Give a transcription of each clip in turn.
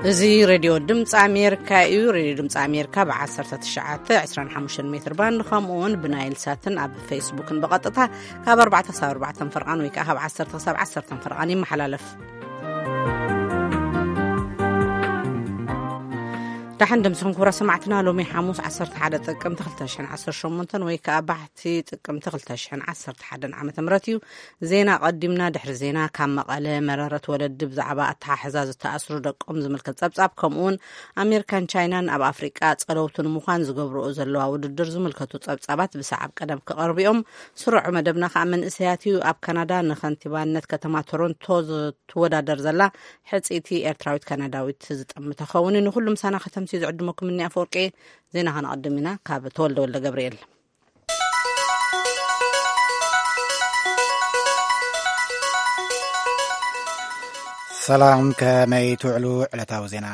እዚ ሬድዮ ድምፂ ኣሜሪካ እዩ። ሬድዮ ድምፂ ኣሜሪካ ብ19፣ 25 ሜትር ባንድ፣ ከምኡ እውን ብናይል ሳትን ኣብ ፌስቡክን ብቐጥታ ካብ ኣርባዕተ ክሳብ ኣርባዕተ ፈርቓን ወይ ከዓ ካብ ዓሰርተ ክሳብ ዓሰርተ ፈርቓን ይመሓላለፍ። ደሓን ደምስኹም ክቡራ ሰማዕትና። ሎሚ ሓሙስ 11 ጥቅምቲ 2018 ወይ ከዓ ባሕቲ ጥቅምቲ 2011 ዓመተ ምህረት እዩ። ዜና ቀዲምና። ድሕሪ ዜና ካብ መቐለ መረረት ወለዲ ብዛዕባ ኣተሓሕዛ ዝተኣስሩ ደቆም ዝምልከት ጸብጻብ፣ ከምኡውን ኣሜሪካን ቻይናን ኣብ ኣፍሪቃ ጸለውቲ ንምዃን ዝገብርኦ ዘለዋ ውድድር ዝምልከቱ ጸብጻባት ብሰዓብ ቀደም ክቐርቡ እዮም። ስሩዕ መደብና ከዓ መንእሰያት እዩ። ኣብ ካናዳ ንከንቲባነት ከተማ ቶሮንቶ ትወዳደር ዘላ ሕጽይቲ ኤርትራዊት ካናዳዊት ዝጥምት ተኸውን። ንኹሉ ምሳና ከተምሲ ዝዕድመኩም እኒ ኣፈወርቂ። ዜና ከነቐድም ኢና። ካብ ተወልደ ወልደ ገብርኤል። ሰላም፣ ከመይ ትውዕሉ? ዕለታዊ ዜና።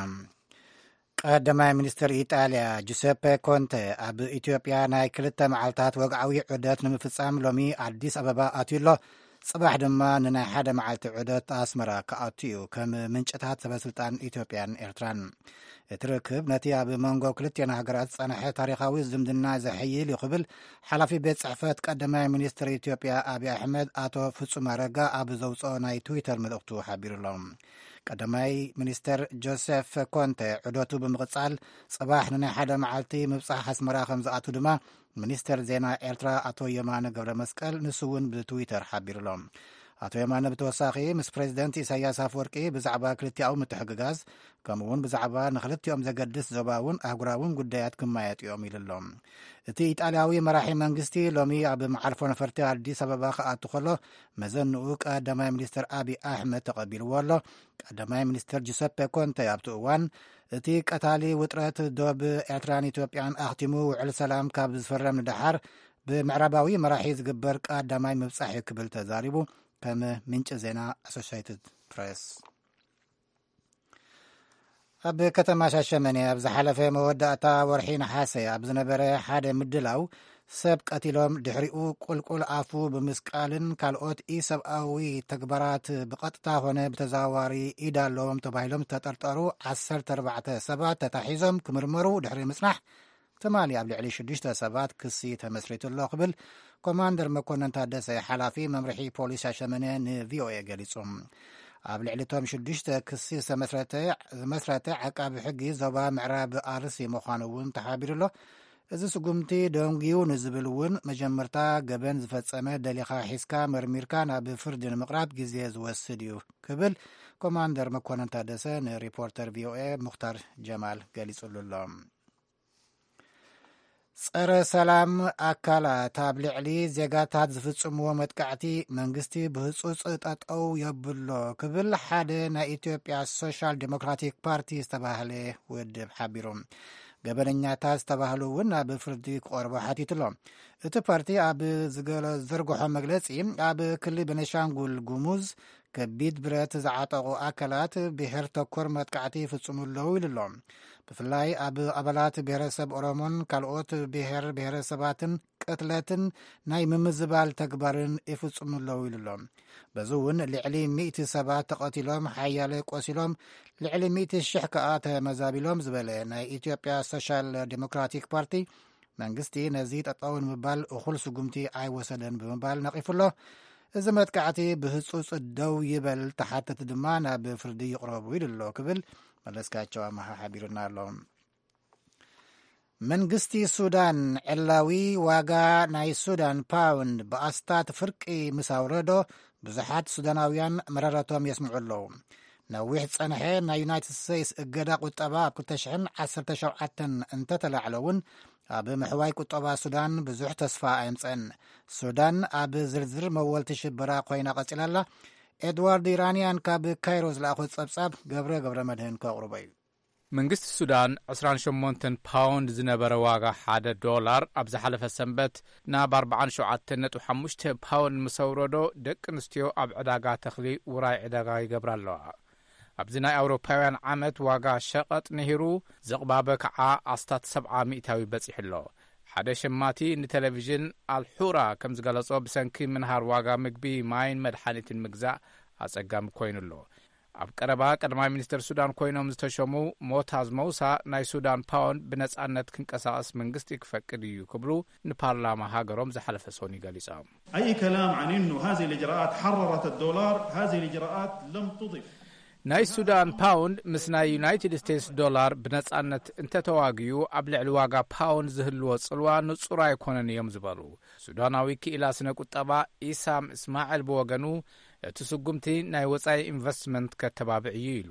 ቀዳማይ ሚኒስትር ኢጣልያ ጁሰፐ ኮንተ ኣብ ኢትዮጵያ ናይ ክልተ መዓልታት ወግዓዊ ዑደት ንምፍጻም ሎሚ ኣዲስ ኣበባ ኣትዩ ኣሎ። ጽባሕ ድማ ንናይ ሓደ መዓልቲ ዑደት ኣስመራ ክኣቱ እዩ፣ ከም ምንጭታት ሰበስልጣን ኢትዮጵያን ኤርትራን። እቲ ርክብ ነቲ ኣብ መንጎ ክልቲኣን ሃገራት ዝጸንሐ ታሪኻዊ ዝምድና ዘሐይል እዩ ክብል ሓላፊ ቤት ጽሕፈት ቀዳማይ ሚኒስትር ኢትዮጵያ ኣብይ ኣሕመድ ኣቶ ፍጹም ኣረጋ ኣብ ዘውጽኦ ናይ ትዊተር መልእኽቱ ሓቢሩ ኣሎ። ቀዳማይ ሚኒስተር ጆሴፍ ኮንተ ዑደቱ ብምቕጻል፣ ጽባሕ ንናይ ሓደ መዓልቲ ምብጻሕ ኣስመራ ከም ዝኣቱ ድማ ሚኒስተር ዜና ኤርትራ ኣቶ የማነ ገብረ መስቀል ንሱ እውን ብትዊተር ሓቢሩ ኣሎ። ኣቶ የማነ ብተወሳኺ ምስ ፕሬዚደንት ኢሳያስ ኣፈወርቂ ብዛዕባ ክልቲኣዊ ምትሕግጋዝ፣ ከምኡ እውን ብዛዕባ ንክልቲኦም ዘገድስ ዞባውን ኣህጉራውን ጉዳያት ክማየጡ እዮም ኢሉ ኣሎ። እቲ ኢጣልያዊ መራሒ መንግስቲ ሎሚ ኣብ መዓርፎ ነፈርቲ ኣዲስ ኣበባ ክኣቱ ከሎ፣ መዘንኡ ቀዳማይ ሚኒስተር ኣብይ ኣሕመድ ተቐቢልዎ ኣሎ። ቀዳማይ ሚኒስተር ጁሰፐ ኮንተ ኣብቲ እዋን፣ እቲ ቀታሊ ውጥረት ዶብ ኤርትራን ኢትዮጵያን ኣኽቲሙ ውዕል ሰላም ካብ ዝፍረም ንደሓር፣ ብምዕራባዊ መራሒ ዝግበር ቀዳማይ ምብጻሕ እዩ ክብል ተዛሪቡ፣ ከም ምንጪ ዜና ኣሶሽየትድ ፕሬስ። ኣብ ከተማ ሻሸመኔ ኣብ ዝሓለፈ መወዳእታ ወርሒ ነሓሰ ኣብ ዝነበረ ሓደ ምድላው፣ ሰብ ቀቲሎም፣ ድሕሪኡ ቁልቁል ኣፉ ብምስቃልን ካልኦት ኢሰብኣዊ ተግባራት ብቐጥታ ኾነ ብተዘዋዋሪ ኢድ ኣለዎም ተባሂሎም ዝተጠርጠሩ ዓሰርተ ኣርባዕተ ሰባት ተታሒዞም ክምርመሩ ድሕሪ ምጽናሕ፣ ትማሊ ኣብ ልዕሊ ሽዱሽተ ሰባት ክሲ ተመስሪቱ ኣሎ ክብል ኮማንደር መኮነን ታደሰ፣ ሓላፊ መምርሒ ፖሊስ ሻሸመኔ ንቪኦኤ ገሊጹ። ኣብ ልዕሊ እቶም ሽዱሽተ ክሲ ዝተመስረተ፣ ዝመስረተ ዓቃቢ ሕጊ ዞባ ምዕራብ ኣርሲ ምዃኑ እውን ተሓቢሩ ኣሎ። እዚ ስጉምቲ ደንጉዩ ንዝብል እውን፣ መጀመርታ ገበን ዝፈጸመ ደሊኻ ሒዝካ መርሚርካ ናብ ፍርዲ ንምቕራብ ግዜ ዝወስድ እዩ ክብል ኮማንደር መኮነን ታደሰ ንሪፖርተር ቪኦኤ ሙኽታር ጀማል ገሊጹሉ ኣሎ። ጸረ ሰላም ኣካላት ኣብ ልዕሊ ዜጋታት ዝፍጽምዎ መጥቃዕቲ መንግስቲ ብህጹጽ ጠጠው የብሎ ክብል ሓደ ናይ ኢትዮጵያ ሶሻል ዴሞክራቲክ ፓርቲ ዝተባህለ ውድብ ሓቢሩ። ገበነኛታት ዝተባህሉ እውን ናብ ፍርዲ ክቐርቡ ሓቲቱ ኣሎ። እቲ ፓርቲ ኣብ ዝገለ-፣ ዘርግሖ መግለጺ፣ ኣብ ክልል ቤኒሻንጉል ጉሙዝ ከቢድ ብረት ዝዓጠቑ ኣካላት ብሄር ተኮር መጥቃዕቲ ይፍጽሙ ኣለዉ ኢሉ ኣሎ። ብፍላይ ኣብ ኣባላት ብሄረሰብ ኦሮሞን ካልኦት ብሄር ብሄረሰባትን ቅትለትን ናይ ምምዝባል ተግባርን ይፍጽሙ ኣለዉ ኢሉ ኣሎ። በዚ እውን ልዕሊ ሚእቲ ሰባት ተቐቲሎም፣ ሓያለ ቆሲሎም፣ ልዕሊ ሚእቲ ሽሕ ከኣ ተመዛቢሎም ዝበለ ናይ ኢትዮጵያ ሶሻል ዴሞክራቲክ ፓርቲ፣ መንግስቲ ነዚ ጠጠው ንምባል እኹል ስጉምቲ ኣይወሰደን ብምባል ነቒፉ ኣሎ። እዚ መጥቃዕቲ ብህጹጽ ደው ይበል፣ ተሓተቲ ድማ ናብ ፍርዲ ይቕረቡ ኢሉ ኣሎ ክብል መለስካቸው ኣመሃ ሓቢሩና ኣሎ። መንግስቲ ሱዳን ዕላዊ ዋጋ ናይ ሱዳን ፓውንድ ብኣስታት ፍርቂ ምስ ኣውረዶ፣ ብዙሓት ሱዳናውያን መረረቶም የስምዑ ኣለዉ። ነዊሕ ጸንሐ ናይ ዩናይትድ ስቴትስ እገዳ ቁጠባ ኣብ ክልተ ሽሕን ዓሰርተ ሸውዓተን እንተተላዕለ እውን፣ ኣብ ምሕዋይ ቁጠባ ሱዳን ብዙሕ ተስፋ ኣየምጸን። ሱዳን ኣብ ዝርዝር መወልቲ ሽበራ ኮይና ቀጺላ ኣላ። ኤድዋርድ ኢራንያን ካብ ካይሮ ዝለኣኾ ጸብጻብ ገብረ ገብረ መድህን ከቕርቦ እዩ። መንግስቲ ሱዳን ዕስራን ሸሞንተን ፓውንድ ዝነበረ ዋጋ ሓደ ዶላር ኣብ ዝሓለፈ ሰንበት ናብ ኣርባዓን ሸውዓተን ነጥቢ ሓሙሽተ ፓውንድ ምስ ኣውረዶ፣ ደቂ ኣንስትዮ ኣብ ዕዳጋ ተኽሊ ውራይ ዕዳጋ ይገብራ ኣለዋ። ኣብዚ ናይ ኣውሮፓውያን ዓመት ዋጋ ሸቐጥ ንሂሩ፣ ዝቕባበ ከዓ ኣስታት ሰብዓ ሚእታዊ በጺሑ ኣሎ። ሓደ ሸማቲ ንቴሌቪዥን ኣልሑራ ከም ዝገለጾ፣ ብሰንኪ ምንሃር ዋጋ ምግቢ፣ ማይን መድሓኒትን ምግዛእ ኣጸጋሚ ኮይኑ ኣሎ። ኣብ ቀረባ ቀዳማይ ሚኒስትር ሱዳን ኮይኖም ዝተሸሙ ሞታዝ መውሳ፣ ናይ ሱዳን ፓውንድ ብነጻነት ክንቀሳቐስ መንግስቲ ክፈቅድ እዩ ክብሉ ንፓርላማ ሃገሮም ዝሓለፈ ሰኒ ገሊጾም። أي كلام عن إنه هذه الإجراءات حررت الدولار، هذه الإجراءات لم تضف. ናይ ሱዳን ፓውንድ ምስ ናይ ዩናይትድ ስቴትስ ዶላር ብነጻነት እንተተዋግዩ፣ ኣብ ልዕሊ ዋጋ ፓውንድ ዝህልዎ ጽልዋ ንጹር ኣይኮነን እዮም ዝበሉ ሱዳናዊ ክኢላ ስነ ቁጠባ ኢሳም እስማዕል ብወገኑ፣ እቲ ስጉምቲ ናይ ወጻኢ ኢንቨስትመንት ከተባብዕ እዩ ኢሉ።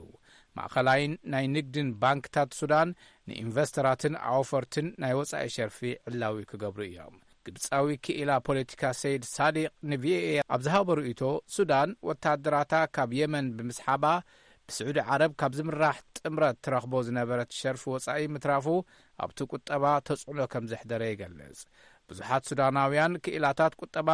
ማእኸላይን ናይ ንግድን ባንክታት ሱዳን ንኢንቨስተራትን ኣውፈርትን ናይ ወጻኢ ሸርፊ ዕላዊ ክገብሩ እዮም። ግብጻዊ ክኢላ ፖለቲካ ሰይድ ሳዲቅ ንቪኦኤ ኣብ ዝሃቦ ርእይቶ፣ ሱዳን ወታደራታ ካብ የመን ብምስሓባ፣ ብስዑዲ ዓረብ ካብ ዝምራሕ ጥምረት ትረኽቦ ዝነበረት ሸርፊ ወጻኢ ምትራፉ ኣብቲ ቁጠባ ተጽዕኖ ከም ዘሕደረ ይገልጽ። ብዙሓት ሱዳናውያን ክኢላታት ቁጠባ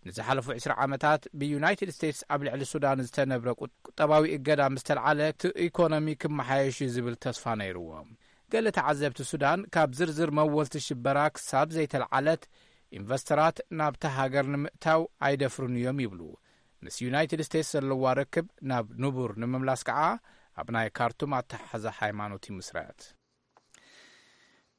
ንዝሓለፉ ዕስራ ዓመታት ብዩናይትድ ስቴትስ ኣብ ልዕሊ ሱዳን ዝተነብረ ቁ-፣ ቁጠባዊ እገዳ ምስ ተልዓለ እቲ ኢኮኖሚ ክመሓየሽ እዩ ዝብል ተስፋ ነይርዎም። ገለ ተዓዘብቲ ሱዳን ካብ ዝርዝር መወልቲ ሽበራ ክሳብ ዘይተልዓለት ኢንቨስተራት ናብታ ሃገር ንምእታው ኣይደፍሩን እዮም ይብሉ። ምስ ዩናይትድ ስቴትስ ዘለዋ ርክብ ናብ ንቡር ንምምላስ ከዓ ኣብ ናይ ካርቱም ኣተሓሕዛ ሃይማኖት ይምስረት።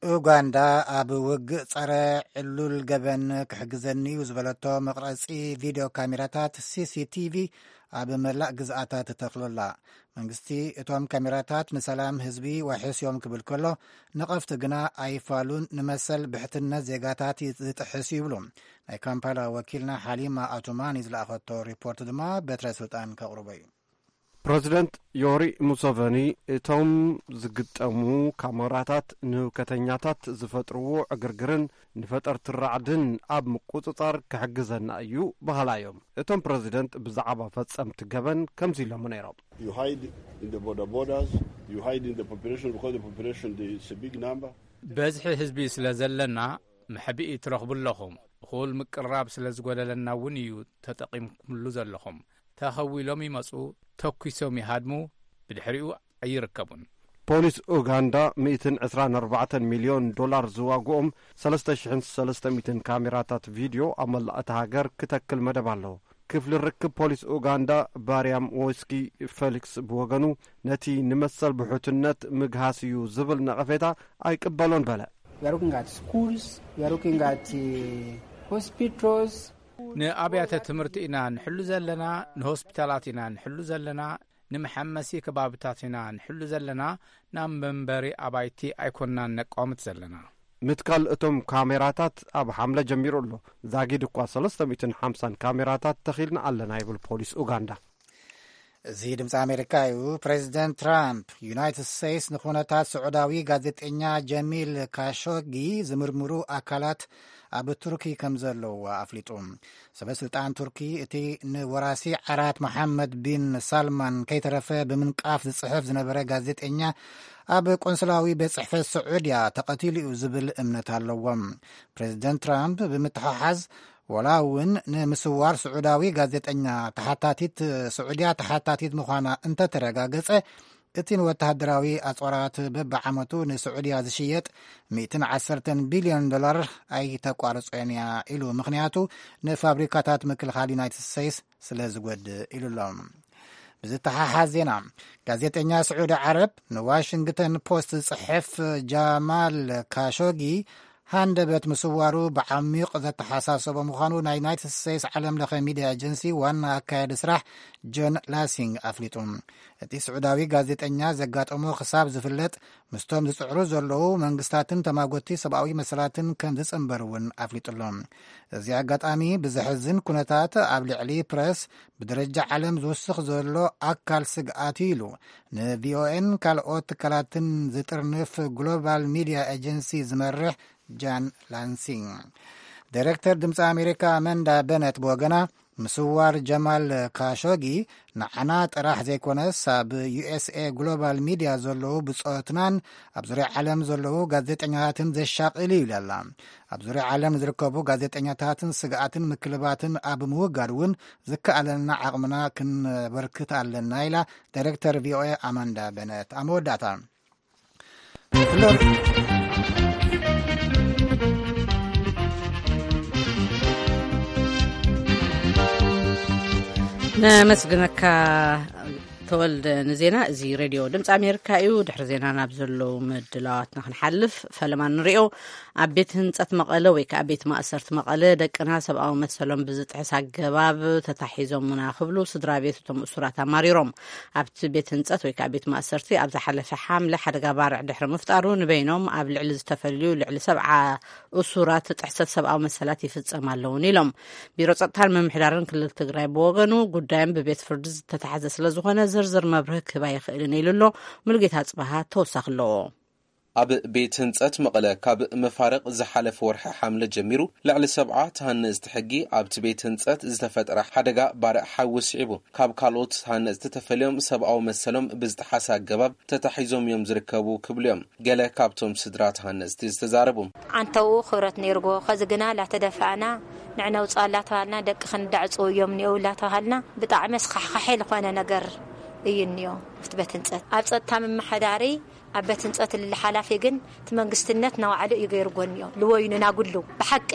ኡጋንዳ ኣብ ውግእ ጸረ ዕሉል ገበን ክሕግዘኒ እዩ ዝበለቶ መቕረጺ ቪድዮ ካሜራታት ሲ ሲ ቲ ቪ ኣብ መላእ ግዝኣታ ትተኽሎላ። መንግስቲ እቶም ካሜራታት ንሰላም ህዝቢ ዋሕስ እዮም ክብል ከሎ፣ ንቐፍቲ ግና ኣይፋሉን፣ ንመሰል ብሕትነት ዜጋታት ዝጥሕስ እዩ ይብሉ። ናይ ካምፓላ ወኪልና ሓሊማ ኣቱማኒ ዝለኣኸቶ ሪፖርት ድማ በትረ ስልጣን ከቕርቦ እዩ። ፕረዚደንት ዮሪ ሙሰቨኒ፣ እቶም ዝግጠሙ ካሜራታት ንህውከተኛታት ዝፈጥርዎ ዕግርግርን ንፈጠርቲ ራዕድን ኣብ ምቁጽጻር ክሕግዘና እዩ በሃላ እዮም። እቶም ፕረዚደንት ብዛዕባ ፈጸምቲ ገበን ከምዚ ኢሎም ነይሮም። You hide in the border borders, you hide in the population because the population is a big number. በዝሒ ህዝቢ ስለ ዘለና መሕብኢ ትረኽቡ ኣለኹም። እኹል ምቅርራብ ስለ ዝጎደለና እውን እዩ ተጠቒምኩምሉ ዘለኹም። ተኸዊሎም ይመጹ፣ ተኲሶም ይሃድሙ፣ ብድሕሪኡ ኣይርከቡን። ፖሊስ ኡጋንዳ ሚእትን ዕስራን ኣርባዕተን ሚልዮን ዶላር ዝዋግኦም ሰለስተ ሽሕን ሰለስተ ሚእትን ካሜራታት ቪድዮ ኣብ መላእ እታ ሃገር ክተክል መደብ ኣለዎ። ክፍሊ ርክብ ፖሊስ ኡጋንዳ ባርያም ዎስኪ ፌሊክስ ብወገኑ፣ ነቲ ንመሰል ብሕትነት ምግሃስ እዩ ዝብል ነቐፌታ ኣይቅበሎን በለ። We are looking at schools, we are looking at, uh, hospitals. ንኣብያተ ትምህርቲ ኢና ንሕሉ ዘለና፣ ንሆስፒታላት ኢና ንሕሉ ዘለና፣ ንመሐመሲ ከባብታት ኢና ንሕሉ ዘለና፣ ናብ መንበሪ ኣባይቲ ኣይኮንናን ነቋምት ዘለና። ምትካል እቶም ካሜራታት ኣብ ሓምለ ጀሚሩ ኣሎ። ዛጊድ እኳ ሰለስተ ሚእትን ሓምሳን ካሜራታት ተኺልና ኣለና ይብል ፖሊስ ኡጋንዳ። እዚ ድምፂ ኣሜሪካ እዩ። ፕሬዚደንት ትራምፕ፣ ዩናይትድ ስቴትስ ንኩነታት ስዑዳዊ ጋዜጠኛ ጀሚል ካሾጊ ዝምርምሩ ኣካላት ኣብ ቱርኪ ከም ዘለዉ ኣፍሊጡ። ሰበ ስልጣን ቱርኪ፣ እቲ ንወራሲ ዓራት መሓመድ ቢን ሳልማን ከይተረፈ ብምንቃፍ ዝጽሕፍ ዝነበረ ጋዜጠኛ፣ ኣብ ቆንስላዊ ቤት ጽሕፈት ስዑድያ ተቐቲሉ እዩ ዝብል እምነት ኣለዎም። ፕሬዚደንት ትራምፕ ብምትሓሓዝ፣ ወላ እውን ንምስዋር ስዑዳዊ ጋዜጠኛ ተሓታቲት፣ ስዑድያ ተሓታቲት ምዃና እንተተረጋገጸ፣ እቲ ንወተሃደራዊ ኣጽዋራት በብዓመቱ ንስዑድያ ዝሽየጥ ሚእትን ዓሰርተን ቢልዮን ዶላር ኣይተቋርጾን እያ ኢሉ። ምኽንያቱ፣ ንፋብሪካታት ምክልኻል ዩናይትድ ስቴትስ ስለ ዝጎድእ ኢሉ ኣሎ። ብዝተሓሓዝ ዜና፣ ጋዜጠኛ ስዑዲ ዓረብ ንዋሽንግተን ፖስት ዝጽሕፍ ጃማል ካሾጊ ሃንደበት ምስዋሩ ብዓሚቕ ዘተሓሳሰቦ ምዃኑ ናይ ዩናይትድ ስቴትስ ዓለም ለኸ ሚድያ ኤጀንሲ ዋና ኣካያዲ ስራሕ ጆን ላሲንግ ኣፍሊጡ። እቲ ስዑዳዊ ጋዜጠኛ ዘጋጠሞ ክሳብ ዝፍለጥ ምስቶም ዝጽዕሩ ዘለዉ መንግስታትን ተማጎቲ ሰብኣዊ መሰላትን ከም ዝጽንበር እውን ኣፍሊጡ ኣሎ። እዚ ኣጋጣሚ ብዘሕዝን ኩነታት ኣብ ልዕሊ ፕረስ ብደረጃ ዓለም ዝውስኽ ዘሎ ኣካል ስግኣት እዩ ኢሉ ንቪኦኤን ካልኦት ትካላትን ዝጥርንፍ ግሎባል ሚድያ ኤጀንሲ ዝመርሕ ጃን ላንሲንግ። ዳይሬክተር ድምፂ ኣሜሪካ ኣመንዳ በነት ብወገና፣ ምስዋር ጀማል ካሾጊ ንዓና ጥራሕ ዘይኮነስ፣ ኣብ ዩ ኤስ ኤ ግሎባል ሚድያ ዘለዉ ብጾትናን ኣብ ዙርያ ዓለም ዘለዉ ጋዜጠኛታትን ዘሻቕል እዩ ኢላ ኣላ። ኣብ ዙርያ ዓለም ዝርከቡ ጋዜጠኛታትን ስግኣትን ምክልባትን ኣብ ምውጋድ እውን ዝከኣለና ዓቕምና ክንበርክት ኣለና ኢላ ዳይሬክተር ቪኦኤ ኣማንዳ በነት። ኣብ መወዳእታ፣ ነመስግነካ ተወልደ ንዜና እዚ ሬድዮ ድምፂ ኣሜሪካ እዩ። ድሕሪ ዜና ናብ ዘለዉ ምድላዋትና ክንሓልፍ፣ ፈለማ ንሪኦ። ኣብ ቤት ህንፀት መቐለ ወይ ከዓ ቤት ማእሰርቲ መቐለ ደቅና ሰብኣዊ መሰሎም ብዝጥሕስ ኣገባብ ተታሒዞምና ክብሉ ስድራ ቤት እቶም እሱራት ኣማሪሮም። ኣብቲ ቤት ህንፀት ወይ ከዓ ቤት ማእሰርቲ ኣብ ዝሓለፈ ሓምለ ሓደጋ ባርዕ ድሕሪ ምፍጣሩ ንበይኖም ኣብ ልዕሊ ዝተፈልዩ ልዕሊ ሰብዓ እሱራት ጥሕሰት ሰብኣዊ መሰላት ይፍፀም ኣለውን ኢሎም። ቢሮ ጸጥታን ምምሕዳርን ክልል ትግራይ ብወገኑ ጉዳዮም ብቤት ፍርዲ ዝተታሕዘ ስለ ዝኾነ ዝርዝር መብርህ ክህብ ኣይኽእልን ኢሉ ኣሎ። ሙሉጌታ ጽባሃ ተወሳኺ ኣለዎ። ኣብ ቤት ህንጸት መቐለ ካብ መፋርቕ ዝሓለፈ ወርሒ ሓምለ ጀሚሩ ልዕሊ ሰብዓ ተሃነፅቲ ሕጊ ኣብቲ ቤት ህንጸት ዝተፈጠረ ሓደጋ ባርዕ ሓዊ ስዒቡ ካብ ካልኦት ተሃነፅቲ ተፈልዮም ሰብኣዊ መሰሎም ብዝጠሓሰ ኣገባብ ተታሒዞም እዮም ዝርከቡ ክብሉ እዮም ገለ ካብቶም ስድራ ተሃነፅቲ ዝተዛረቡ። ዓንተው ክብረት ነይርዎ። ከዚ ግና ላተደፋእና ንዕነውፃ ላተባሃልና ደቂ ክንዳዕፅው እዮም እኒው ላተባሃልና ብጣዕሚ ኣስኻሕኻሒ ዝኾነ ነገር እዩ እኒኦ። ኣብቲ ቤት ህንፀት ኣብ ጸጥታ ምምሕዳሪ ኣብ ቤት ህንፀት ልሊ ሓላፊ ግን እቲ መንግስትነት ናባዕሉ እዩ ገይርዎ እኒኦ። ልወይኑ ናጉሉ ብሓቂ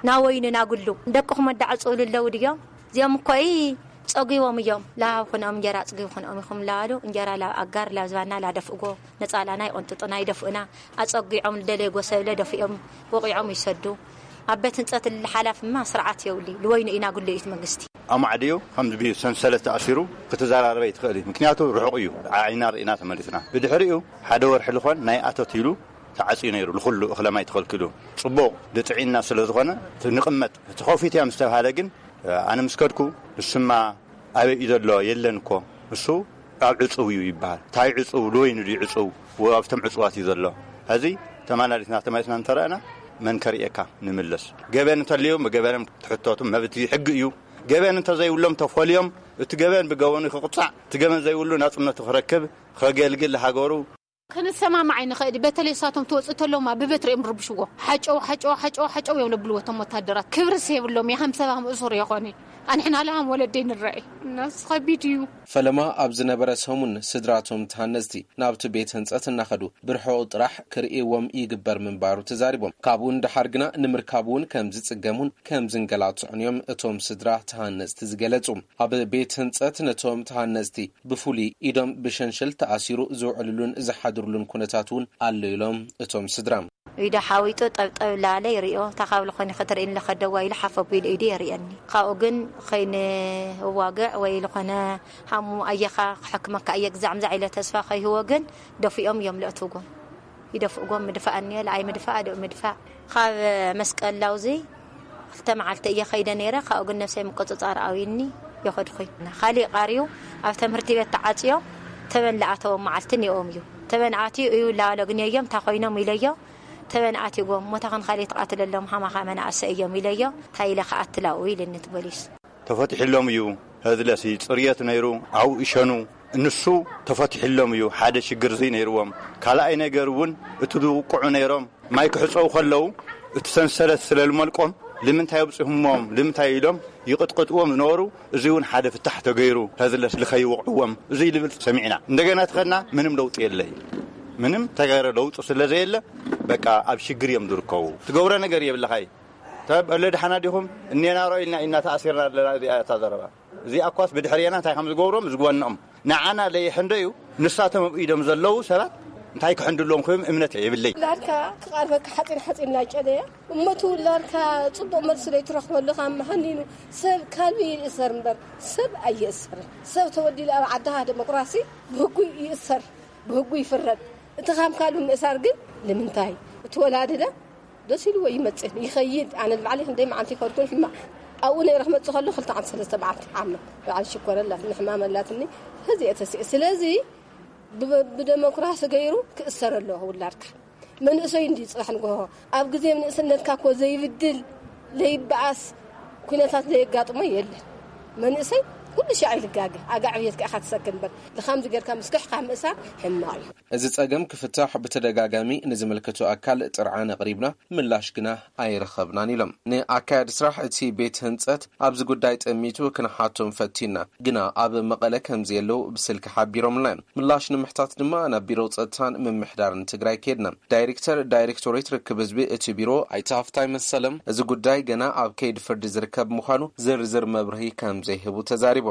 ናወይኑ ናጉሉ ደቅኹም ኣዳዕፅውሉ ኣለዉ ድዮም? እዚኦም እኮ ጸጒቦም እዮም። ላብ ኩኖም እንጀራ ኣጽጊቡ ኩኖም ኢኹም ላሉ እንጀራ ላብ ኣጋር ላብ ዝባና ላደፍእዎ ነጻላና ይቆንጥጡና ይደፍኡና። ኣጸጒዖም ልደለይዎ ሰብ ለደፊኦም ወቂዖም ይሰዱ። ኣብ ቤት ህንጸት ልሓላፍማ ስርዓት የውሊ ልወይኑ ኢና ጉልኢት መንግስቲ። ኣማዕድዩ ከም ዝብዩ ሰንሰለት ተኣሲሩ ክትዘራረበ ይትኽእል እዩ። ምክንያቱ ርሑቕ እዩ። ዓይና ርኢና ተመሊስና። ብድሕሪኡ ሓደ ወርሒ ልኾን ናይ ኣቶት ኢሉ ተዓጽዩ ነይሩ። ንኹሉ እኽለ ማይ ተኸልኪሉ። ጽቡቕ ድጥዒና ስለ ዝኾነ እቲ ንቕመጥ፣ እቲ ከፊት እያ ምስ ተባሃለ ግን፣ ኣነ ምስ ከድኩ፣ ንሱማ ኣበይ እዩ ዘሎ? የለን እኮ። ንሱ ኣብ ዕጹው እዩ ይበሃል። እንታይ ዕጹው? ልወይኑ ድዩ ዕጹው? ወ-፣ ኣብቶም ዕጹዋት እዩ ዘሎ። ሕዚ ተመላሊስና፣ ተመሊስና እንተረኣና፣ መን ከርእየካ? ንምለስ። ገበን እንተልዮም፣ ብገበኖም ትሕተቱ፣ መብት እዩ፣ ሕጊ እዩ። ገበን እንተዘይብሎም ተፈልዮም፣ እቲ ገበን ብገበኑ ክቕጻዕ፣ እቲ ገበን ዘይብሉ ናጽነቱ ክረክብ፣ ከገልግል ሃገሩ። ክንሰማማዕ ኣይንኽእል። በተለይ እሳቶም ትወፅእ ተለውማ ብበትሪ እዮም ዝርብሽዎ። ሓጨው፣ ሓጨው፣ ሓጨው፣ ሓጨው እዮም ለብልዎ እቶም ወታደራት። ክብርስ የብሎም። የሃም ሰባም እሱር የኾነ። ኣንሕና ለሃም ወለደይ ንረኢ። እናስ ኸቢድ እዩ። ፈለማ ኣብ ዝነበረ ሰሙን ስድራቶም ተሃነፅቲ ናብቲ ቤት ህንፀት እናኸዱ ብርሑቕ ጥራሕ ክርእይዎም ይግበር ምንባሩ ተዛሪቦም። ካብኡ ንደሓር ግና ንምርካብ እውን ከም ዝፅገሙን ከም ዝንገላትዑን እዮም እቶም ስድራ ተሃነፅቲ ዝገለፁ። ኣብ ቤት ህንፀት ነቶም ተሃነፅቲ ብፍሉይ ኢዶም ብሸንሸል ተኣሲሩ ዝውዕልሉን ዝሓድርሉን ኩነታት እውን ኣሎ ኢሎም እቶም ስድራ። ኢዱ ሓዊጡ ጠብጠብ ላለ ይሪኦ። እታ ካብ ልኾኒ ክትርኢ ንለኸደዋ ኢሉ ሓፍ ኣቢሉ ኢዱ የርእየኒ። ካብኡ ግን ኸይንዋግዕ ወይ ልኾነ ሃሙ ኣየኻ ክሕክመካ እየ ግዛዕ ምዛዕ ኢለ ተስፋ ከይህቦ ግን ደፊኦም እዮም ለእትውጎ። ይደፍእዎም ምድፋእ እኒኦ፣ ለኣይ ምድፋእ፣ ኣደኡ ምድፋእ። ካብ መስቀል ላውዚ ክልተ መዓልቲ እየ ኸይደ ነይረ፣ ካብኡ ግን ነብሰይ ምቁጽጻር ኣውይኒ የኸድኹይ። ካሊእ ቃርዩ ኣብ ትምህርቲ ቤት ተዓጽዮ፣ ተበን ለኣተዎም መዓልቲ እኒኦም እዩ። ተበን ኣትዩ እዩ ላዋሎ ግን እዮም፣ እንታ ኮይኖም ኢለዮ፣ ተበን ኣትይዎም፣ ሞታ ኸን ካሊእ ትቓትለሎም ሃማኻ መናእሰ እዮም ኢለዮ፣ እንታይ ኢለ ክኣትላው ኢልኒ እቲ ፖሊስ። ተፈቲሕሎም እዩ። ህዝለሲ ጽርየት ነይሩ፣ ኣብኡ ይሸኑ። ንሱ ተፈቲሕሎም እዩ። ሓደ ሽግር እዚ ነይርዎም። ካልኣይ ነገር እውን እቲ ዝውቅዑ ነይሮም። ማይ ክሕጸቡ ከለዉ እቲ ሰንሰለት ስለ ዝመልቆም፣ ልምንታይ ኣብጺሁሞም፣ ልምንታይ ኢሎም ይቕጥቅጥዎም ዝነበሩ። እዚ እውን ሓደ ፍታሕ ተገይሩ፣ ህዝለስ ልኸይወቕዕዎም፣ እዚ ልብል ሰሚዕና። እንደገና ተኸድና፣ ምንም ለውጢ የለይ። ምንም ተገይረ ለውጢ ስለ ዘየለ፣ በቃ ኣብ ሽግር እዮም ዝርከቡ። ትገብሮ ነገር የብልኻይ። ተብ፣ እለ ደሓና ዲኹም? እኔና ሮ ኢልና ኢና ተኣሲርና ኣለና። እዚኣ እታ ዘረባ። እዚኣ እኳስ ብድሕርየና እንታይ ከም ዝገብሮም ዝግበንኦም። ንዓና ለይሕንዶ እዩ። ንሳቶም ኣብ ኢዶም ዘለዉ ሰባት እንታይ ክሕንድሎም ክህም እምነት የብለይ። ላርካ ክቓርበካ ሓፂን ሓፂን እናጨደየ እሞ እቲ ውላድካ ፅቡቕ መልሲ ዘይትረኽበሉ ካብ መሃኒኑ ሰብ ካልቢ ይእሰር እምበር ሰብ ኣይእሰርን። ሰብ ተወዲሉ ኣብ ዓድኻ ዴሞክራሲ ብህጉ ይእሰር፣ ብህጉ ይፍረድ። እቲ ካብ ካልቢ ምእሳር ግን ንምንታይ? እቲ ወላድለ ደስ ኢልዎ ይመጽእ ይኸይድ። ኣነ ንባዕለይ ክንደይ መዓልቲ ይኸድኩን ሕማቕ ኣብኡ ነይረ ክመጽእ ከሎ ክልተ ዓመት ሰለስተ መዓልቲ ዓመት በዓል ሽኮር ኣላት ንሕማም ኣላትኒ። ህዚ እየ ተሲኤ። ስለዚ ብ-፣ ብደሞክራሲ ገይሩ ክእሰር ኣለዎ ውላድካ። መንእሰይ እንዲ ጽባሕ ንግሆ ኣብ ግዜ ንእስነትካ እኮ ዘይብድል ዘይበኣስ ኩነታት ዘየጋጥሞ የለን። መንእሰይ ኩሉ ሻዕ ይልጋገ ኣጋ ዕብየትካ ኢኻ ትሰክር እምበር ብኻምዚ ጌርካ ምስክሕካ ምእሳር ሕማቕ እዩ። እዚ ጸገም ክፍታሕ ብተደጋጋሚ ንዝምልከቶ ኣካል ጥርዓን ኣቕሪብና፣ ምላሽ ግና ኣይረኸብናን ኢሎም። ንኣካያዲ ስራሕ እቲ ቤት ህንጸት ኣብዚ ጉዳይ ጠሚቱ ክንሓቶም ፈቲና፣ ግና ኣብ መቐለ ከም ዘየለዉ ብስልኪ ሓቢሮምልና እዮም። ምላሽ ንምሕታት ድማ ናብ ቢሮ ጸጥታን ምምሕዳርን ትግራይ ከድና። ዳይሬክተር ዳይሬክቶሬት ርክብ ህዝቢ እቲ ቢሮ ኣይተ ሃፍታይ መሰለም፣ እዚ ጉዳይ ገና ኣብ ከይዲ ፍርዲ ዝርከብ ምዃኑ ዝርዝር መብርሂ ከም ዘይህቡ ተዛሪቦም።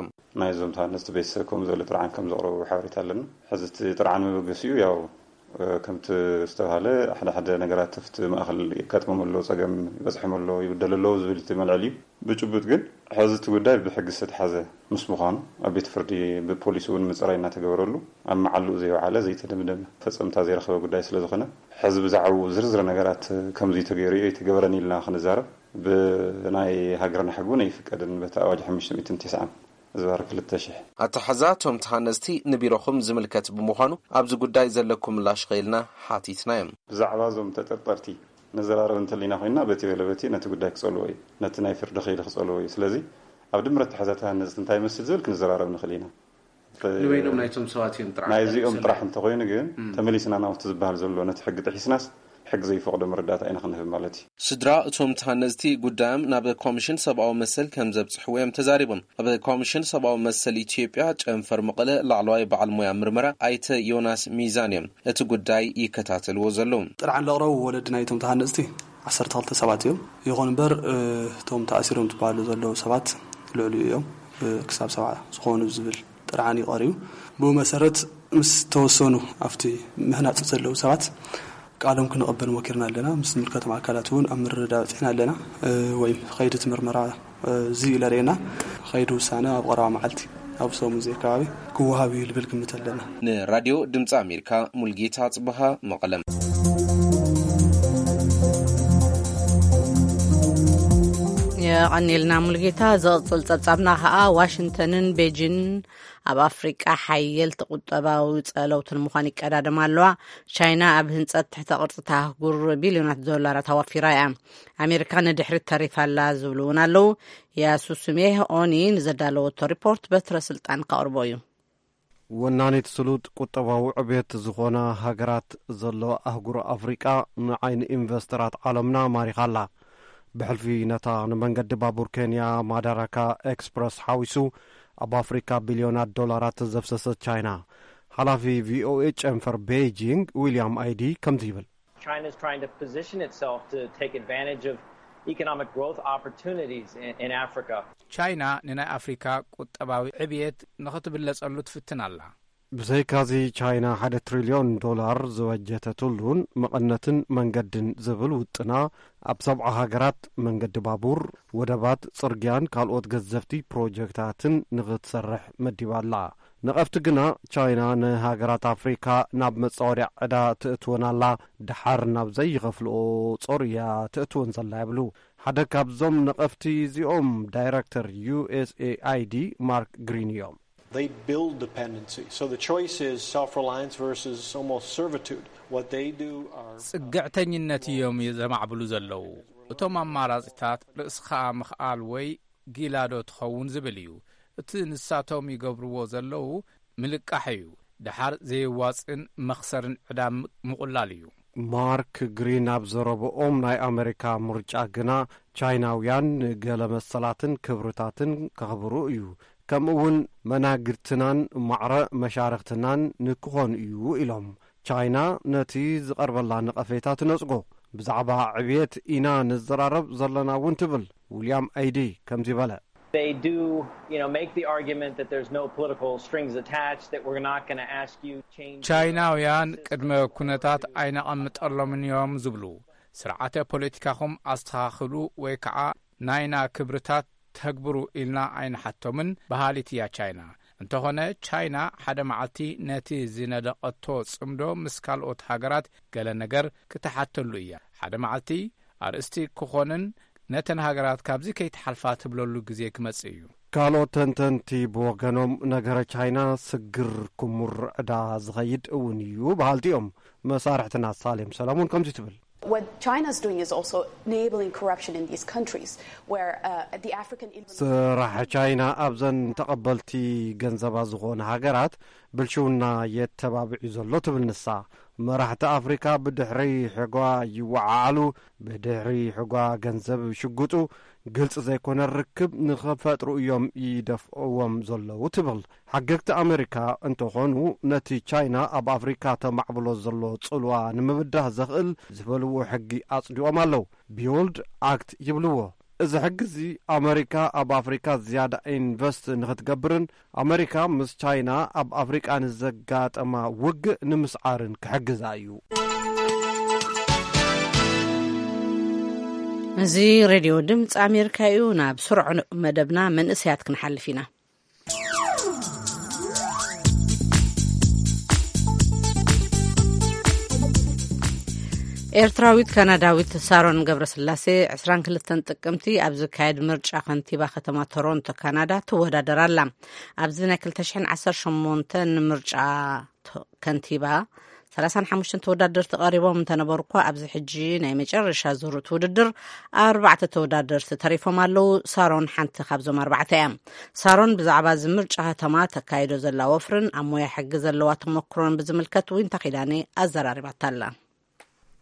ናይዞም ተሃነፅቲ ቤተሰብ ከምኡ ዝበለ ጥርዓን ከም ዘቕረቡ ሓበሬታ ኣለና። ሕዚ እቲ ጥርዓን መበገሲኡ ያው ከምቲ ዝተባሃለ ሓደ ሓደ ነገራት ኣብቲ ማእኸል የጋጥሞም ኣሎ፣ ፀገም ይበፅሖም ኣሎ፣ ይብደሉ ኣለዉ ዝብል እቲ መልዕል እዩ። ብጭቡጥ ግን ሕዚ እቲ ጉዳይ ብሕጊ ዝተተሓዘ ምስ ምዃኑ ኣብ ቤት ፍርዲ ብፖሊስ እውን ምፅራይ እናተገበረሉ ኣብ መዓልኡ ዘይወዓለ ዘይተደምደመ ፈፀምታ ዘይረኸበ ጉዳይ ስለ ዝኾነ ሕዚ ብዛዕባኡ ዝርዝር ነገራት ከምዚ ተገይሩ እዩ ኣይተገበረን ኢልና ክንዛረብ ብናይ ሃገርና ሕጊ እውን ኣይፍቀድን። በቲ ኣዋጅ ሓሙሽተ ሚእትን ተስዓን ዝባር ክልተ ሽሕ። ኣተሓዛ እቶም ተሃነፅቲ ንቢሮኹም ዝምልከት ብምዃኑ ኣብዚ ጉዳይ ዘለኩም ምላሽ ኸኢልና ሓቲትናዮም። ብዛዕባ እዞም ተጠርጠርቲ ንዘራረብ እንተሊና ኮይንና በቲ በለ በቲ ነቲ ጉዳይ ክጸልዎ እዩ፣ ነቲ ናይ ፍርዲ ኸይዲ ክጸልዎ እዩ። ስለዚ ኣብ ድምረት ተሓዛ ተሃነፅቲ እንታይ ይመስል ዝብል ክንዘራረብ ንኽእል ኢና። ንበይኖም ናይቶም ሰባት እዮም ጥራሕ ናይዚኦም ጥራሕ እንተኾይኑ ግን ተመሊስና ናብቲ ዝበሃል ዘሎ ነቲ ሕጊ ጥሒስናስ ሕጊ ዘይፈቕዶ መረዳእታ ኢና ክንህብ ማለት እዩ። ስድራ እቶም ተሃነፅቲ ጉዳዮም ናብ ኮሚሽን ሰብኣዊ መሰል ከም ዘብፅሕዎ እዮም ተዛሪቦም። ኣብ ኮሚሽን ሰብኣዊ መሰል ኢትዮጵያ ጨንፈር መቐለ ላዕለዋይ በዓል ሞያ ምርመራ ኣይተ ዮናስ ሚዛን እዮም እቲ ጉዳይ ይከታተልዎ ዘለዉ። ጥርዓን ለቕረቡ ወለዲ ናይቶም ተሃነፅቲ ዓሰርተ ክልተ ሰባት እዮም። ይኹን እምበር እቶም ተኣሲሮም ዝበሃሉ ዘለዉ ሰባት ልዕሊኡ እዮም። ክሳብ ሰብዓ ዝኾኑ ዝብል ጥርዓን እዩ ቀሪቡ። ብኡ መሰረት ምስ ተወሰኑ ኣብቲ ምህናፅ ዘለዉ ሰባት ቃሎም ክንቕበል ሞኪርና ኣለና። ምስ ዝምልከቶም ኣካላት እውን ኣብ ምርድዳእ በፂሕና ኣለና። ወይም ኸይዲ እቲ ምርመራ እዚ እዩ ለርእየና። ኸይዲ ውሳነ ኣብ ቀረባ መዓልቲ ኣብ ሰሙን እዚ ኣከባቢ ክወሃብ እዩ ልብል ግምት ኣለና። ንራድዮ ድምፂ ኣሜሪካ ሙልጌታ ጽበሃ መቐለም። የቐኒልና ሙልጌታ። ዝቕጽል ጸብጻብና ኸኣ ዋሽንግተንን ቤጂን ኣብ ኣፍሪቃ ሓየልቲ ቁጠባዊ ጸለውትን ምዃን ይቀዳደማ ኣለዋ። ቻይና ኣብ ህንጸት ትሕተ ቅርጽታ ኣህጉር ቢልዮናት ዶላራት ኣዋፊራ እያ። ኣሜሪካ ንድሕሪት ተሪፋ ኣላ ዝብሉ እውን ኣለዉ። ያሱስሜ ኦኒ ንዘዳለወቶ ሪፖርት በትረ ስልጣን ከቕርቦ እዩ። ወናኒት ስሉጥ ቁጠባዊ ዕብየት ዝኾና ሃገራት ዘለዋ ኣህጉር ኣፍሪቃ ንዓይኒ ኢንቨስተራት ዓለምና ማሪኻ ኣላ። ብሕልፊ ነታ ንመንገዲ ባቡር ኬንያ ማዳራካ ኤክስፕረስ ሓዊሱ ኣብ ኣፍሪካ ቢልዮናት ዶላራት ዘፍሰሰት ቻይና፣ ሓላፊ ቪኦኤ ጨንፈር ቤይጂንግ ዊልያም ኣይዲ ከምዚ ይብል። China is trying to position itself to take advantage of economic growth opportunities in, in Africa. ቻይና ንናይ ኣፍሪካ ቁጠባዊ ዕብየት ንኽትብለጸሉ ትፍትን ኣላ። ብዘይካዚ ቻይና ሓደ ትሪልዮን ዶላር ዝበጀተትሉን መቐነትን መንገድን ዝብል ውጥና ኣብ ሰብዓ ሃገራት መንገዲ ባቡር፣ ወደባት፣ ጽርግያን ካልኦት ገዘፍቲ ፕሮጀክታትን ንኽትሰርሕ መዲባ ኣላ። ነቐፍቲ ግና ቻይና ንሃገራት ኣፍሪካ ናብ መጻወድያ ዕዳ ትእትወን ኣላ፣ ደሓር ናብ ዘይኸፍልኦ ጾር እያ ትእትወን ዘላ ይብሉ። ሓደ ካብዞም ነቐፍቲ እዚኦም ዳይረክተር ዩ ኤስ ኤ ኣይ ዲ ማርክ ግሪን እዮም። They build dependency. So the choice is self-reliance versus almost servitude. What they do are ጽግዕተኝነት እዮም ዘማዕብሉ ዘለዉ። እቶም ኣማራጺታት ርእስኻ ምኽኣል ወይ ጊላዶ ትኸውን ዝብል እዩ። እቲ ንሳቶም ይገብርዎ ዘለዉ ምልቃሕ እዩ። ደሓር ዘየዋጽእን መኽሰርን ዕዳ ም-፣ ምቑላል እዩ። ማርክ ግሪን ኣብ ዘረብኦም ናይ ኣመሪካ ምርጫ ግና ቻይናውያን ንገለ መሰላትን ክብርታትን ከኽብሩ እዩ። ከምኡ እውን መናግድትናን ማዕረ መሻርኽትናን ንክኾኑ እዩ ኢሎም። ቻይና ነቲ ዝቐርበላ ነቐፌታ ትነጽጎ። ብዛዕባ ዕብየት ኢና ንዘራረብ ዘለና እውን ትብል። ዊልያም ኣይዲ ከምዚ በለ። They do, you know, make the argument that there's no political strings attached, that we're not gonna ask you change. ቻይናውያን ቅድመ ኩነታት ኣይነቐምጠሎምን እዮም ዝብሉ። ስርዓተ ፖለቲካኹም ኣስተኻኽሉ ወይ ከዓ ናይና ክብርታት ተግብሩ ኢልና ኣይንሓቶምን በሃሊት እያ ቻይና። እንተኾነ ቻይና ሓደ መዓልቲ ነቲ ዝነደቐቶ ጽምዶ ምስ ካልኦት ሃገራት ገለ ነገር ክትሓተሉ እያ። ሓደ መዓልቲ ኣርእስቲ ክኾንን ነተን ሃገራት ካብዚ ከይትሓልፋ ትብለሉ ግዜ ክመጽእ እዩ። ካልኦት ተንተንቲ ብወገኖም ነገረ ቻይና ስግር ክሙር ዕዳ ዝኸይድ እውን እዩ በሃልቲ እዮም። መሳርሕትና ሳሌም ሰለሙን ከምዚ ትብል። What China's doing is also enabling corruption in these countries where, uh, the African Inland ስራሕ ቻይና ኣብዘን ተቐበልቲ ገንዘባ ዝኾነ ሃገራት ብልሽውና የተባብዕ እዩ ዘሎ ትብል ንሳ። መራሕቲ ኣፍሪካ ብድሕሪ ሕጓ ይወዓዓሉ፣ ብድሕሪ ሕጓ ገንዘብ ይሽጉጡ፣ ግልፂ ዘይኮነ ርክብ ንኸፈጥሩ እዮም ይደፍእዎም ዘለዉ ትብል። ሓገግቲ ኣመሪካ እንተኾኑ ነቲ ቻይና ኣብ ኣፍሪካ ተማዕብሎ ዘሎ ጽልዋ ንምብዳህ ዘኽእል ዝበልዎ ሕጊ ኣጽዲቖም ኣለዉ። ቢውልድ ኣክት ይብልዎ። እዚ ሕጊ እዚ ኣመሪካ ኣብ ኣፍሪካ ዝያዳ ኢንቨስት ንኽትገብርን ኣመሪካ ምስ ቻይና ኣብ ኣፍሪቃ ንዘጋጠማ ውግእ ንምስዓርን ክሕግዛ እዩ። እዚ ሬድዮ ድምፂ ኣሜሪካ እዩ። ናብ ስሩዕ መደብና መንእሰያት ክንሓልፍ ኢና። ኤርትራዊት ካናዳዊት ሳሮን ገብረስላሴ ዕስራን ክልተን ጥቅምቲ ኣብ ዝካየድ ምርጫ ከንቲባ ከተማ ቶሮንቶ ካናዳ ትወዳደር ኣላ። ኣብዚ ናይ ክልተ ሽሕን ዓሰርተ ሸሞንተን ምርጫ ቶ- ከንቲባ ሰላሳን ሓሙሽተን ተወዳደርቲ ቀሪቦም እንተነበሩ እኳ፣ ኣብዚ ሕጂ ናይ መጨረሻ ዙር እቲ ውድድር ኣርባዕተ ተወዳደርቲ ተሪፎም ኣለዉ። ሳሮን ሓንቲ ካብዞም ኣርባዕተ እያ። ሳሮን ብዛዕባ እዚ ምርጫ ከተማ ተካይዶ ዘላ ወፍርን ኣብ ሞያ ሕጊ ዘለዋ ተመክሮን ብዝምልከት ዊንታ ኪዳነ ኣዘራሪባታ ኣላ።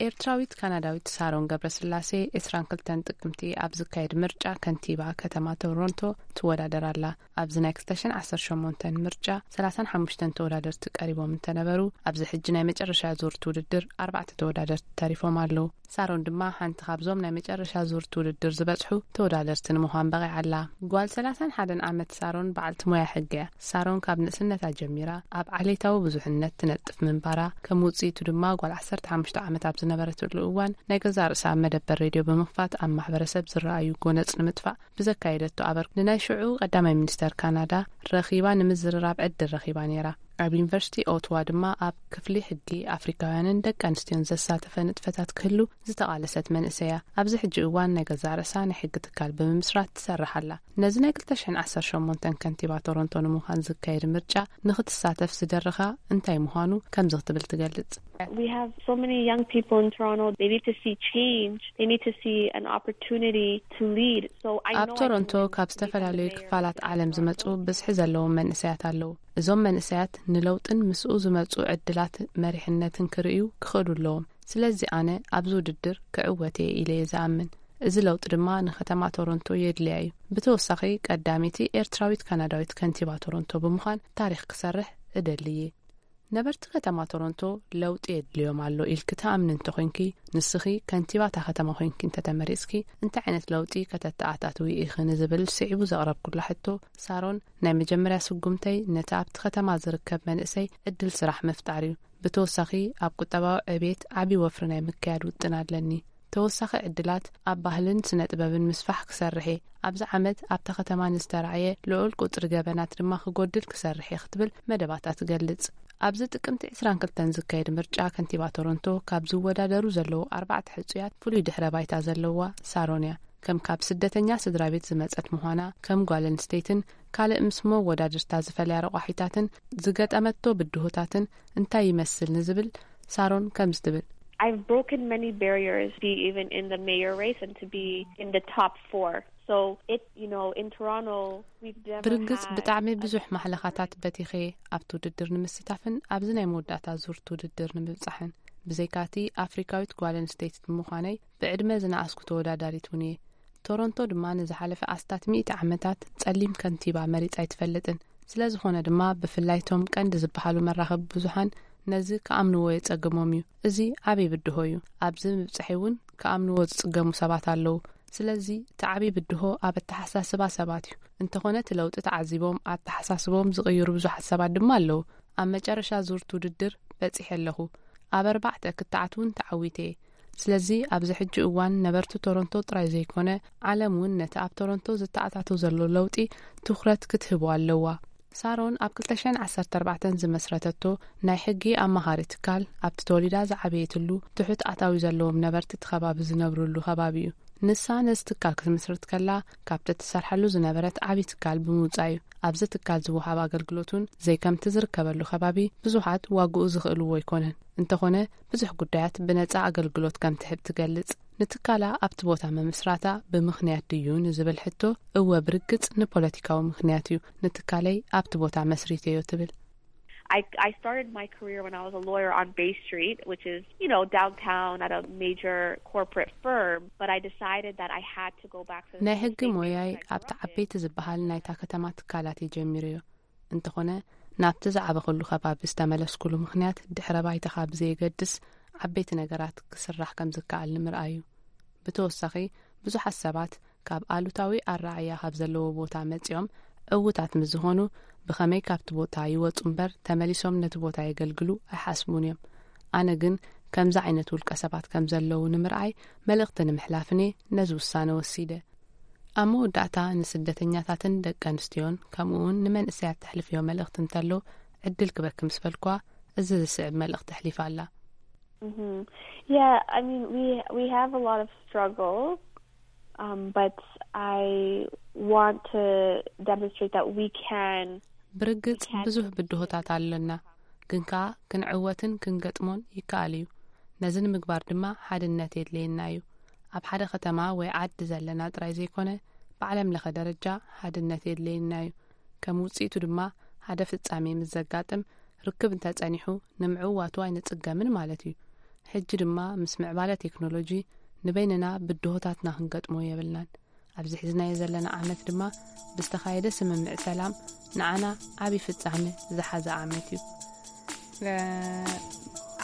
ኤርትራዊት ካናዳዊት ሳሮን ገብረስላሴ ዕስራን ክልተን ጥቅምቲ ኣብ ዝካየድ ምርጫ ከንቲባ ከተማ ቶሮንቶ ትወዳደር ኣላ። ኣብዚ ናይ ክልተ ሽሕን ዓሰርተ ሸሞንተን ምርጫ ሰላሳን ሓሙሽተን ተወዳደርቲ ቀሪቦም እንተነበሩ፣ ኣብዚ ሕጂ ናይ መጨረሻ ዙር እቲ ውድድር ኣርባዕተ ተወዳደርቲ ተሪፎም ኣለዉ። ሳሮን ድማ ሓንቲ ካብዞም ናይ መጨረሻ ዙር እቲ ውድድር ዝበጽሑ ተወዳደርቲ ንምዃን በቒዓ ኣላ። ጓል ሰላሳን ሓደን ዓመት ሳሮን በዓልቲ ሞያ ሕጊ እያ። ሳሮን ካብ ንእስነታ ጀሚራ ኣብ ዓሌታዊ ብዙሕነት ትነጥፍ ምንባራ፣ ከም ውጽኢቱ ድማ ጓል ዓሰርተ ሓሙሽተ ዓመት ኣብ ዝነበረትሉ እዋን ናይ ገዛእ ርእሳ መደበር ሬድዮ ብምኽፋት ኣብ ማሕበረሰብ ዝረኣዩ ጎነጽ ንምጥፋእ ብዘካየደቶ ኣበርክቶ ንናይ ሽዑ ቀዳማይ ሚኒስተር ካናዳ ረኺባ ንምዝርራብ ዕድል ረኺባ ነይራ። ኣብ ዩኒቨርሲቲ ኦትዋ ድማ ኣብ ክፍሊ ሕጊ ኣፍሪካውያንን ደቂ ኣንስትዮን ዘሳተፈ ንጥፈታት ክህሉ ዝተቓለሰት መንእሰይ እያ። ኣብዚ ሕጂ እዋን ናይ ገዛእ ርእሳ ናይ ሕጊ ትካል ብምምስራት ትሰርሕ ኣላ። ነዚ ናይ ክልተ ሽሕን ዓሰርተ ሸሞንተን ከንቲባ ቶሮንቶ ንምዃን ዝካየድ ምርጫ ንኽትሳተፍ ዝደረኻ እንታይ ምዃኑ ከምዚ ክትብል ትገልጽ። We have so many young people in Toronto. They need to see change. They need to see an opportunity to lead. So I ኣብ know I can ቶሮንቶ win ካብ because I'm the ዝተፈላለዩ mayor of ክፋላት ዓለም ዝመጹ ብዝሒ ዘለዎም መንእሰያት ኣለዉ። እዞም መንእሰያት ንለውጥን ምስኡ ዝመጹ ዕድላት መሪሕነትን ክርእዩ ክኽእሉ ኣለዎም። ስለዚ ኣነ ኣብዚ ውድድር ክዕወት እየ ኢለ እየ ዝኣምን። እዚ ለውጢ ድማ ንከተማ ቶሮንቶ የድልያ እዩ። ብተወሳኺ ቀዳመይቲ ኤርትራዊት ካናዳዊት ከንቲባ ቶሮንቶ ብምዃን ታሪኽ ክሰርሕ እደሊ እየ። ነበርቲ ከተማ ቶሮንቶ ለውጢ የድልዮም ኣሎ ኢልኪ ትኣምኒ እንተኾይንኪ፣ ንስኺ ከንቲባ እታ ከተማ ኮይንኪ እንተተመሪጽኪ፣ እንታይ ዓይነት ለውጢ ከተተኣታትዊ ኢኺ ንዝብል ስዒቡ ዘቕረብኩላ ሕቶ፣ ሳሮን፣ ናይ መጀመርያ ስጉምተይ ነቲ ኣብቲ ከተማ ዝርከብ መንእሰይ ዕድል ስራሕ ምፍጣር እዩ። ብተወሳኺ ኣብ ቁጠባዊ ዕብየት ዓቢ ወፍሪ ናይ ምክያድ ውጥን ኣለኒ። ተወሳኺ ዕድላት ኣብ ባህልን ስነ ጥበብን ምስፋሕ ክሰርሕ እየ። ኣብዚ ዓመት ኣብታ ከተማ ንዝተራእየ ልዑል ቁጽሪ ገበናት ድማ ክጎድል ክሰርሕ እየ ክትብል መደባታ ትገልጽ። ኣብዚ ጥቅምቲ ዕስራን ክልተን ዝካየድ ምርጫ ከንቲባ ቶሮንቶ ካብ ዝወዳደሩ ዘለዉ ኣርባዕተ ሕጹያት ፍሉይ ድሕረ ባይታ ዘለዋ ሳሮን እያ። ከም ካብ ስደተኛ ስድራ ቤት ዝመጸት ምዃና፣ ከም ጓል ኣንስተይትን ካልእ ምስ መወዳድርታ ዝፈልያ ረቋሒታትን ዝገጠመቶ ብድሆታትን እንታይ ይመስል ንዝብል ሳሮን ከምዚ ትብል። I've broken many barriers to be even in the mayor race and to be in the top four. So it, you know, in Toronto, we've never ብርግጽ had ብጣዕሚ a ብዙሕ ማሕለኻታት በቲኸ ኣብቲ ውድድር ንምስታፍን ኣብዚ ናይ መወዳእታ ዙር እቲ ውድድር ንምብጻሕን። ብዘይካቲ ኣፍሪካዊት ጓል ኣንስተይቲ ብምዃነይ ብዕድመ ዝነኣስኩ ተወዳዳሪት እውን እየ። ቶሮንቶ ድማ ንዝሓለፈ ኣስታት ሚእቲ ዓመታት ጸሊም ከንቲባ መሪጻ ኣይትፈልጥን። ስለ ዝኾነ ድማ ብፍላይ እቶም ቀንዲ ዝበሃሉ መራኸቢ ብዙሃን ነዚ ክኣምንዎ የጸግሞም እዩ። እዚ ዓብዪ ብድሆ እዩ። ኣብዚ ምብጻሐይ እውን ክኣምንዎ ዝጽገሙ ሰባት ኣለዉ። ስለዚ እቲ ዓብዪ ብድሆ ኣብ ኣተሓሳስባ ሰባት እዩ። እንተኾነ እቲ ለውጢ ተዓዚቦም ኣተሓሳስቦም ዝቕይሩ ብዙሓት ሰባት ድማ ኣለዉ። ኣብ መጨረሻ ዙር እቲ ውድድር በጺሐ ኣለኹ። ኣብ ኣርባዕተ ክትዓት እውን ተዓዊተ እየ። ስለዚ ኣብዚ ሕጂ እዋን ነበርቲ ቶሮንቶ ጥራይ ዘይኮነ ዓለም እውን ነቲ ኣብ ቶሮንቶ ዝተኣታቶ ዘሎ ለውጢ ትኹረት ክትህቦ ኣለዋ። ሳሮን ኣብ ክልተ ሽሕን ዓሰርተ ኣርባዕተን ዝመስረተቶ ናይ ሕጊ ኣማኻሪ ትካል ኣብቲ ተወሊዳ ዝዓበየትሉ ትሑት ኣታዊ ዘለዎም ነበርቲ እቲ ከባቢ ዝነብርሉ ከባቢ እዩ። ንሳ ነዚ ትካል ክትምስርት ከላ ካብቲ ትሰርሓሉ ዝነበረት ዓብዪ ትካል ብምውጻእ እዩ። ኣብዚ ትካል ዝወሃብ ኣገልግሎት እውን ዘይከምቲ ዝርከበሉ ከባቢ ብዙሓት ዋግኡ ዝኽእልዎ ኣይኮነን። እንተኾነ ብዙሕ ጉዳያት ብነጻ ኣገልግሎት ከም ትህብ ትገልጽ። ንትካላ ኣብቲ ቦታ ምምስራታ ብምኽንያት ድዩ ንዝብል ሕቶ፣ እወ ብርግጽ ንፖለቲካዊ ምኽንያት እዩ ንትካለይ ኣብቲ ቦታ መስሪተዮ ትብል። I, I started my career when I was a lawyer on Bay Street, which is, you know, downtown at a major corporate firm, but I decided that I had to go back to the ናይ ሕጊ ሞያይ ኣብቲ ዓበይቲ ዝበሃል ናይታ ከተማ ትካላት እየ ጀሚረዮ። እንተኾነ ናብቲ ዝዓበኹሉ ከባቢ ዝተመለስኩሉ ምኽንያት ድሕረ ባይታኻ ብዘየገድስ ዓበይቲ ነገራት ክስራሕ ከም ዝከኣል ንምርኣይ እዩ። ብተወሳኺ ብዙሓት ሰባት ካብ ኣሉታዊ ኣረኣእያ ካብ ዘለዎ ቦታ መጺኦም ዕዉታት ምስ ዝኾኑ፣ ብኸመይ ካብቲ ቦታ ይወጹ እምበር ተመሊሶም ነቲ ቦታ የገልግሉ ኣይሓስቡን እዮም። ኣነ ግን ከምዚ ዓይነት ውልቀ ሰባት ከም ዘለዉ ንምርኣይ፣ መልእኽቲ ንምሕላፍን እየ ነዚ ውሳነ ወሲደ። ኣብ መወዳእታ፣ ንስደተኛታትን ደቂ ኣንስትዮን ከምኡ እውን ንመንእሰያት ተሕልፍዮ መልእኽቲ እንተሎ ዕድል ክበኪ ምስ በልኳ፣ እዚ ዝስዕብ መልእኽቲ ኣሕሊፋ ኣላ። Mm-hmm. Yeah, I mean, we we have a lot of struggles, um, but I want to demonstrate that we can. ብርግጽ ብዙሕ ብድሆታት ኣለና፣ ግን ከኣ ክንዕወትን ክንገጥሞን ይከኣል እዩ። ነዚ ንምግባር ድማ ሓድነት የድልየና እዩ። ኣብ ሓደ ከተማ ወይ ዓዲ ዘለና ጥራይ ዘይኮነ፣ ብዓለም ለኸ ደረጃ ሓድነት የድልየና እዩ። ከም ውጽኢቱ ድማ፣ ሓደ ፍጻሜ ምስ ዘጋጥም፣ ርክብ እንተጸኒሑ፣ ንምዕዋቱ ኣይንጽገምን ማለት እዩ። ሕጂ ድማ ምስ ምዕባለ ቴክኖሎጂ፣ ንበይንና ብድሆታትና ክንገጥሞ የብልናን። ኣብዚ ሒዝናዮ ዘለና ዓመት ድማ፣ ብዝተኻየደ ስምምዕ ሰላም፣ ንዓና ዓቢ ፍጻመ ዝሓዘ ዓመት እዩ። እ፣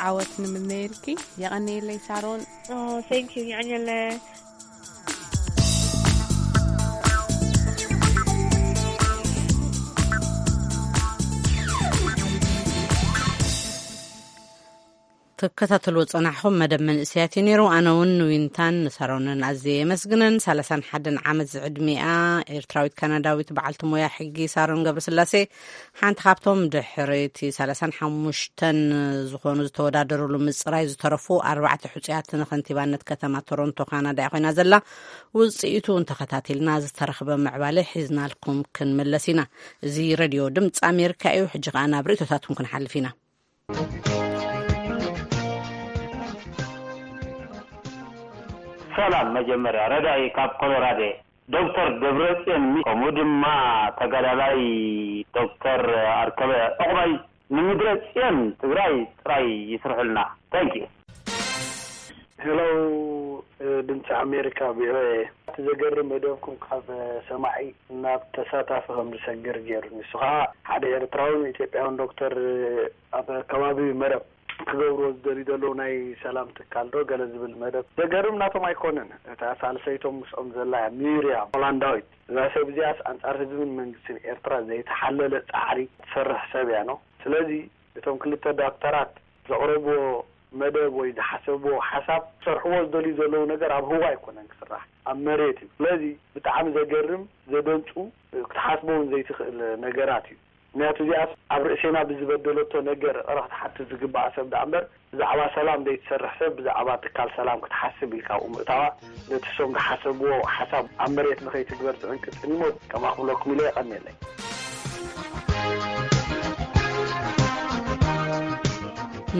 ዓወት ንምነየልኪ። የቐንየለይ ሳሮን። Oh, thank you. Nyanyele. ትከታተልዎ ጸናሕኹም መደብ መንእሰያት እዩ ነይሩ። ኣነ እውን ንዊንታን ንሳሮንን ኣዝየ የመስግነን። ሰላሳን ሓደን ዓመት ዝዕድሚኣ ኤርትራዊት ካናዳዊት በዓልቲ ሞያ ሕጊ ሳሮን ገብረስላሴ፣ ሓንቲ ካብቶም ድሕሪ እቲ ሰላሳን ሓሙሽተን ዝኾኑ ዝተወዳደሩሉ ምጽራይ ዝተረፉ ኣርባዕተ ሕጹያት ንኸንቲባነት ከተማ ቶሮንቶ ካናዳ እያ ኮይና ዘላ። ውጽኢቱ እውን ተኸታቲልና ዝተረኽበ ምዕባለ ሒዝናልኩም ክንምለስ ኢና። እዚ ሬድዮ ድምፂ ኣሜሪካ እዩ። ሕጂ ኸኣ ናብ ርእይቶታትኩም ክንሓልፍ ኢና። ሰላም። መጀመርያ ረዳኢ ካብ ኮሎራዶ፣ ዶክተር ደብረጽዮን ሚ-፣ ከምኡ ድማ ተጋዳላይ ዶክተር ኣርከበ ዕቑባይ ንምድረ ጽዮን ትግራይ ጥራይ ይስርሑልና። Thank you. ሄሎ፣ ድምፂ ኣሜሪካ፣ ቪኦኤ። እቲ ዘገርም መደብኩም ካብ ሰማዒ ናብ ተሳታፊ ከም ዝሰግር ገይሩ። ንሱ ከዓ ሓደ ኤርትራውን ኢትዮጵያውን ዶክተር ኣብ ከባቢ መረብ ክገብርዎ ዝደልዩ ዘለዉ ናይ ሰላም ትካል ዶ ገለ ዝብል መደብ። ዘገርም ናቶም ኣይኮነን። እታ ሳልሰይቶም ምስኦም ዘላ እያ፣ ሚርያም ሆላንዳዊት። እዛ ሰብ እዚኣስ ኣንጻር ህዝብን መንግስትን ኤርትራ ዘይተሓለለ ጻዕሪ ትሰርሕ ሰብ እያ ነው። ስለዚ እቶም ክልተ ዶክተራት ዘቕረብዎ መደብ ወይ ዝሓሰብዎ ሓሳብ ክሰርሕዎ ዝደልዩ ዘለዉ ነገር ኣብ ህዋ ኣይኮነን ክስራሕ፣ ኣብ መሬት እዩ። ስለዚ ብጣዕሚ ዘገርም፣ ዘደንጹ፣ ክትሓስቦ እውን ዘይትኽእል ነገራት እዩ። ምክንያቱ እዚኣስ ኣብ ርእሴና ብዝበደለቶ ነገር ይቕረ ክትሓትት ዝግባኣ ሰብ ደኣ እምበር፣ ብዛዕባ ሰላም ዘይትሰርሕ ሰብ ብዛዕባ ትካል ሰላም ክትሓስብ ኢልካ ኣብኡ ምእታዋ፣ ነቲ እሶም ዝሓሰብዎ ሓሳብ ኣብ መሬት ንኸይትግበር ዝዕንቅጽን እዩ። ሞት ከማኹም ኢለ የቐንየለይ።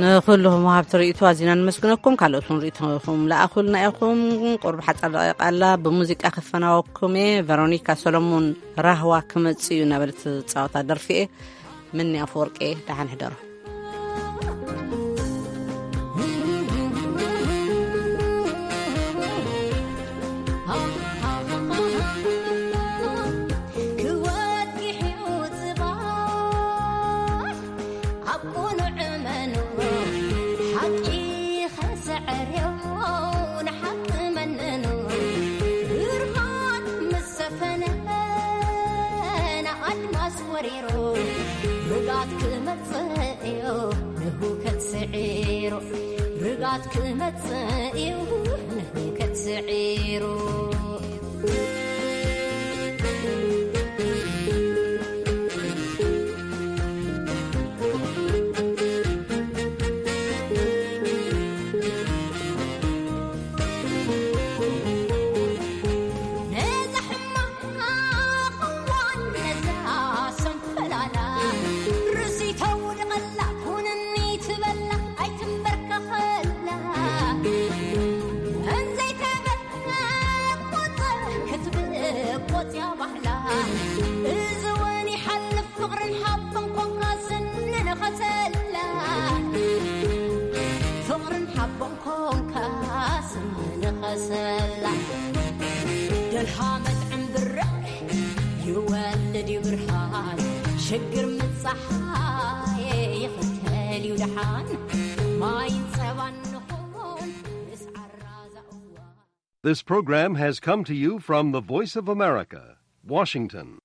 ንኹልኹም ወሃብቲ ርእይቶ ኣዚና ንመስግነኩም። ካልኦት እውን ርእይቶኹም ለኣኹልና ኢኹም። ቁሩብ ሓጻር ደቂቕ ኣላ፣ ብሙዚቃ ክፈናወኩም እየ። ቨሮኒካ ሰሎሞን ራህዋ ክመጽእ እዩ እናበለት ትጻወታ ደርፊ እየ። ምኒ ኣፈወርቂ፣ ደሓን ሕደሩ። ክወድሕ እዩ ጽባሕ ኣብ ቁኑዕ መኑ፣ ሓቂ ኸስዕር እዩ ንሓቂ መንኑ። ብርሃን ምስ ሰፈነ ንኣድማስ ወሪሩ፣ ርጋት ክመጽእ እዩ ንህውከት ስዒሩ። ርጋት ክመጽእ እዩ ንህውከት ስዒሩ። ነዛ ሕማቕ እዋን ነዛ ሰንፈላላ፣ ርእሲ ተውድቐላ፣ ኩንኒ ትበላ ኣይትንበርከኸላ። እንዘይተበቆጸ ክትብቆጽያ ባህላ፣ እዚ እውን ይሓልፍ ፍቕርን ሓቦን ኮንካ ስንንኸሰላ። ፍቕርን ሓቦን ኮንካ ስንንኸሰላ። ደልሃመት ዕምብረ ይወልድ እዩ ብርሃን፣ ሽግር ምጻሓይ ይኽተል እዩ ደሓን። ማይን ጸባን ንኹን ምስ ዓራዛ እዋን። This program has come to you from the Voice of America, Washington.